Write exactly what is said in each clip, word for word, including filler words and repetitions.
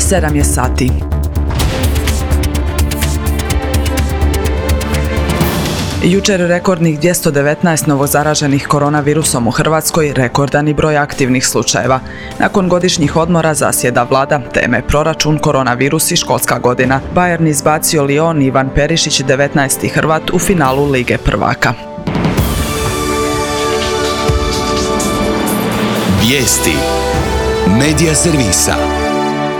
sedam je sati. Jučer rekordnih dvjesto devetnaest novozaraženih koronavirusom u Hrvatskoj, rekordani broj aktivnih slučajeva. Nakon godišnjih odmora zasjeda vlada, teme proračun, koronavirus i školska godina. Bayern izbacio Lyon, Ivan Perišić, devetnaesti Hrvat u finalu Lige prvaka. Vijesti Medija servisa.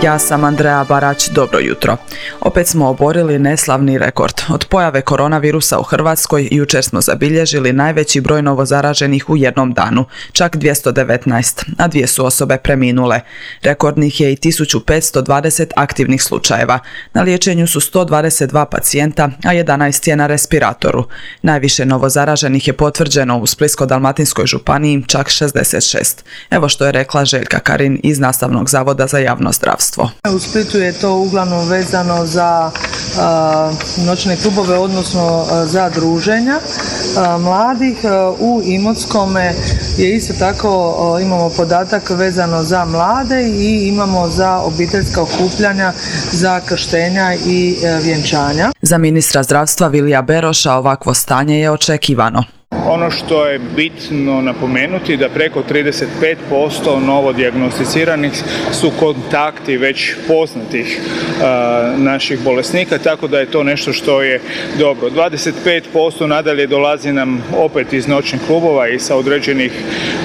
Ja sam Andreja Barać, dobro jutro. Opet smo oborili neslavni rekord. Od pojave koronavirusa u Hrvatskoj jučer smo zabilježili najveći broj novozaraženih u jednom danu, čak dvjesto devetnaest, a dvije su osobe preminule. Rekordnih je i tisuću petsto dvadeset aktivnih slučajeva. Na liječenju su sto dvadeset dva pacijenta, a jedanaest je na respiratoru. Najviše novozaraženih je potvrđeno u Splitsko-dalmatinskoj županiji, čak šezdeset šest. Evo što je rekla Željka Karin iz Nastavnog zavoda za javno zdravstvo. U Splitu je to uglavnom vezano za uh, noćne klubove, odnosno uh, za druženja uh, mladih. Uh, u Imotskome je isto tako, uh, imamo podatak vezano za mlade i imamo za obiteljska okupljanja, za krštenja i uh, vjenčanja. Za ministra zdravstva Vilija Beroša ovakvo stanje je očekivano. Ono što je bitno napomenuti da preko trideset pet posto novodijagnosticiranih su kontakti već poznatih uh, naših bolesnika, tako da je to nešto što je dobro. dvadeset pet posto nadalje dolazi nam opet iz noćnih klubova i sa određenih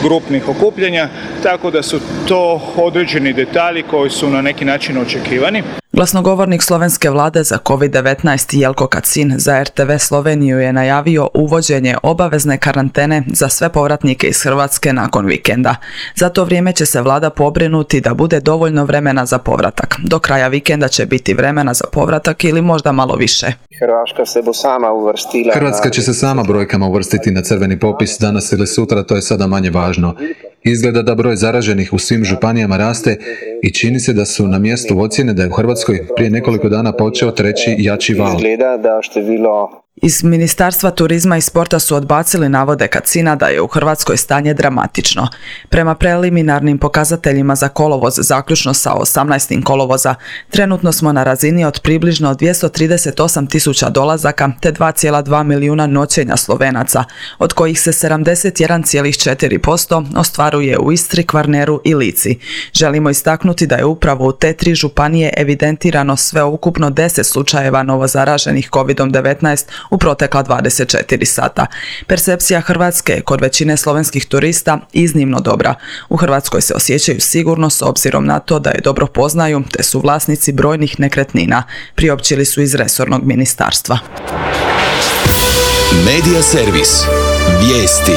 grupnih okupljanja, tako da su to određeni detalji koji su na neki način očekivani. Glasnogovornik slovenske vlade za kovid devetnaest Jelko Kacin za er te ve Sloveniju je najavio uvođenje obavezne karantene za sve povratnike iz Hrvatske nakon vikenda. Za to vrijeme će se vlada pobrinuti da bude dovoljno vremena za povratak. Do kraja vikenda će biti vremena za povratak ili možda malo više. Hrvatska se bo sama uvrstila. Hrvatska će se sama brojkama uvrstiti na crveni popis danas ili sutra, to je sada manje važno. Izgleda da broj zaraženih u svim županijama raste i čini se da su na mjestu ocjene da je u Hrvatskoj prije nekoliko dana počeo treći jači val. Izgleda da število Iz Ministarstva turizma i sporta su odbacili navode Kacina da je u Hrvatskoj stanje dramatično. Prema preliminarnim pokazateljima za kolovoz, zaključno sa osamnaestim kolovoza, trenutno smo na razini od približno dvjesto trideset osam tisuća dolazaka te dva zarez dva milijuna noćenja Slovenaca, od kojih se sedamdeset jedan zarez četiri posto ostvaruje u Istri, Kvarneru i Lici. Želimo istaknuti da je upravo u te tri županije evidentirano sveukupno deset slučajeva novozaraženih kovid devetnaest u protekla dvadeset četiri sata. Percepcija Hrvatske je kod većine slovenskih turista iznimno dobra. U Hrvatskoj se osjećaju sigurno s obzirom na to da je dobro poznaju te su vlasnici brojnih nekretnina, priopćili su iz resornog ministarstva. Medija servis. Vijesti.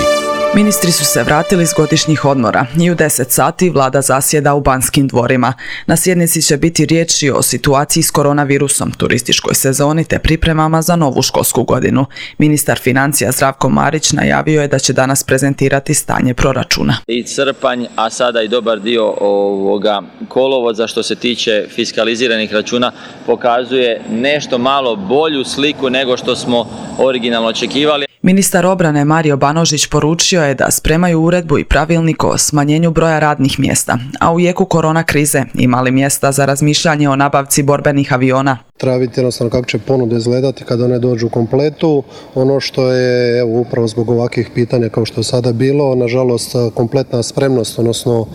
Ministri su se vratili s godišnjih odmora i u deset sati vlada zasjeda u Banskim dvorima. Na sjednici će biti riječi o situaciji s koronavirusom, turističkoj sezoni te pripremama za novu školsku godinu. Ministar financija Zdravko Marić najavio je da će danas prezentirati stanje proračuna. I srpanj, a sada i dobar dio ovoga kolovoza što se tiče fiskaliziranih računa pokazuje nešto malo bolju sliku nego što smo originalno očekivali. Ministar obrane Mario Banožić poručio je da spremaju uredbu i pravilnik o smanjenju broja radnih mjesta, a u jeku korona krize imali mjesta za razmišljanje o nabavci borbenih aviona. Treba vidjeti jednostavno kako će ponude izgledati kada one dođu u kompletu. Ono što je evo, upravo zbog ovakvih pitanja kao što je sada bilo, nažalost kompletna spremnost, odnosno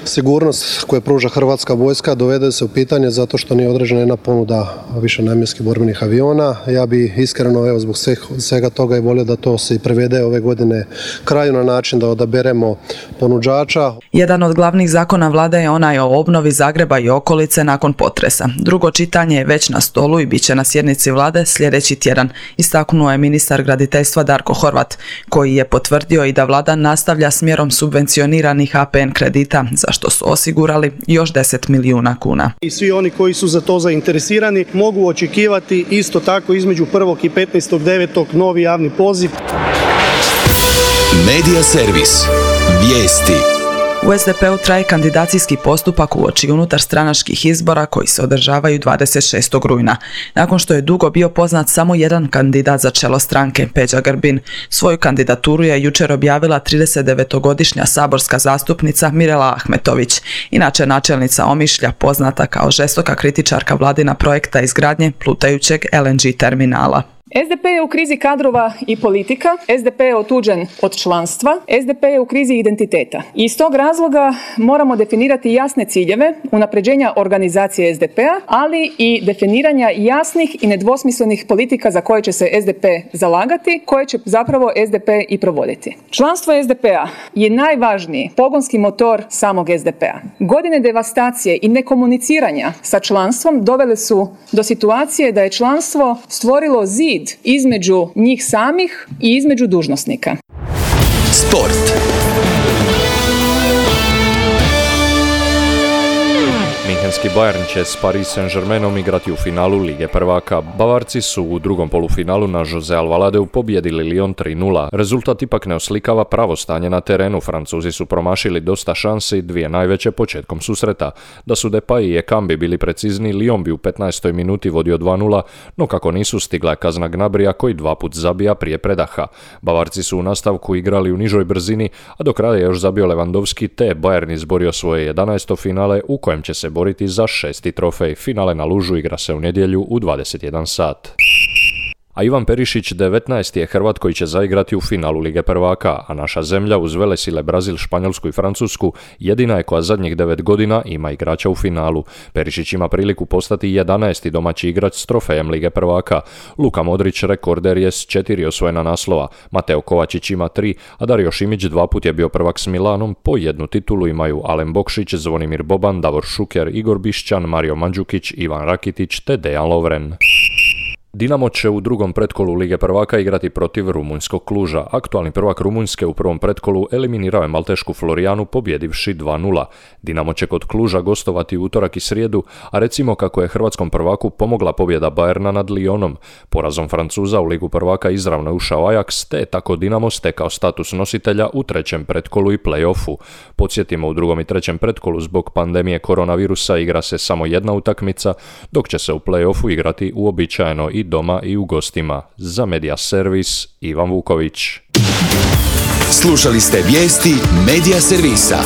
sigurnost koju pruža Hrvatska vojska dovede se u pitanje zato što nije određena jedna ponuda višenamjenskih borbenih aviona. Ja bi iskreno evo, zbog svega toga i volio da to se i prevede ove godine kraju na način da odaberemo ponuđača. Jedan od glavnih zakona vlade je onaj o obnovi Zagreba i okolice nakon potresa. Drugo čitanje je već na stolu i bit će na sjednici vlade sljedeći tjedan, istaknuo je ministar graditeljstva Darko Horvat, koji je potvrdio i da vlada nastavlja smjerom subvencioniranih a pe en kredita, za što su osigurali još deset milijuna kuna. I svi oni koji su za to zainteresirani mogu očekivati isto tako između prvog i petnaestog devetog novi javni poziv. Medija servis. Vijesti. U es de peu traje kandidacijski postupak uoči unutarstranačkih izbora koji se održavaju dvadeset šestog rujna. Nakon što je dugo bio poznat samo jedan kandidat za čelo stranke, Peđa Grbin, svoju kandidaturu je jučer objavila tridesetdevetogodišnja saborska zastupnica Mirela Ahmetović, inače načelnica Omišlja, poznata kao žestoka kritičarka vladina projekta izgradnje plutajućeg el en ge terminala. es de pe je u krizi kadrova i politika, es de pe je otuđen od članstva, es de pe je u krizi identiteta. I iz tog razloga moramo definirati jasne ciljeve unapređenja organizacije es de pea, ali i definiranja jasnih i nedvosmislenih politika za koje će se es de pe zalagati, koje će zapravo es de pe i provoditi. Članstvo es de pea je najvažniji pogonski motor samog es de pea. Godine devastacije i nekomuniciranja sa članstvom dovele su do situacije da je članstvo stvorilo zid između njih samih i između dužnosnika. Sport. Minhenski Bayern će s Paris Saint-Germainom igrati u finalu Lige prvaka. Bavarci su u drugom polufinalu na Jose Alvaladeu pobijedili Lyon tri nula. Rezultat ipak ne oslikava pravo stanje na terenu. Francuzi su promašili dosta šansi, dvije najveće početkom susreta. Da su Depay i Ekambi bili precizni, Lyon bi u petnaestoj minuti vodio dva nula, no kako nisu stigla je kazna Gnabrija koji dva put zabija prije predaha. Bavarci su u nastavku igrali u nižoj brzini, a do kraja je još zabio Lewandowski, te Bayern izborio svoje jedanaesto finale u kojem će se boriti za šesti trofej. Finale na Lužu igra se u nedjelju u dvadeset jedan sat. A Ivan Perišić devetnaesti je Hrvat koji će zaigrati u finalu Lige prvaka, a naša zemlja uz velesile Brazil, Španjolsku i Francusku jedina je koja zadnjih devet godina ima igrača u finalu. Perišić ima priliku postati jedanaesti domaći igrač s trofejem Lige prvaka. Luka Modrić rekorder je s četiri osvojena naslova, Mateo Kovačić ima tri, a Dario Šimić dva put je bio prvak s Milanom, po jednu titulu imaju Alen Bokšić, Zvonimir Boban, Davor Šuker, Igor Bišćan, Mario Mandžukić, Ivan Rakitić te Dejan Lovren. Dinamo će u drugom pretkolu Lige prvaka igrati protiv rumunjskog Kluža. Aktualni prvak Rumunjske u prvom pretkolu eliminirao je maltešku Florijanu pobjedivši dva nula. Dinamo će kod Kluža gostovati utorak i srijedu, a recimo kako je hrvatskom prvaku pomogla pobjeda Bayerna nad Lyonom. Porazom Francuza u Ligu prvaka izravno je ušao Ajax, te je tako Dinamo stekao status nositelja u trećem pretkolu i play-offu. Podsjetimo, u drugom i trećem pretkolu zbog pandemije koronavirusa igra se samo jedna utakmica, dok će se u play-offu igrati uobičajeno i doma i u gostima. Za Media Servis, Ivan Vuković. Slušali ste vijesti Media Servisa.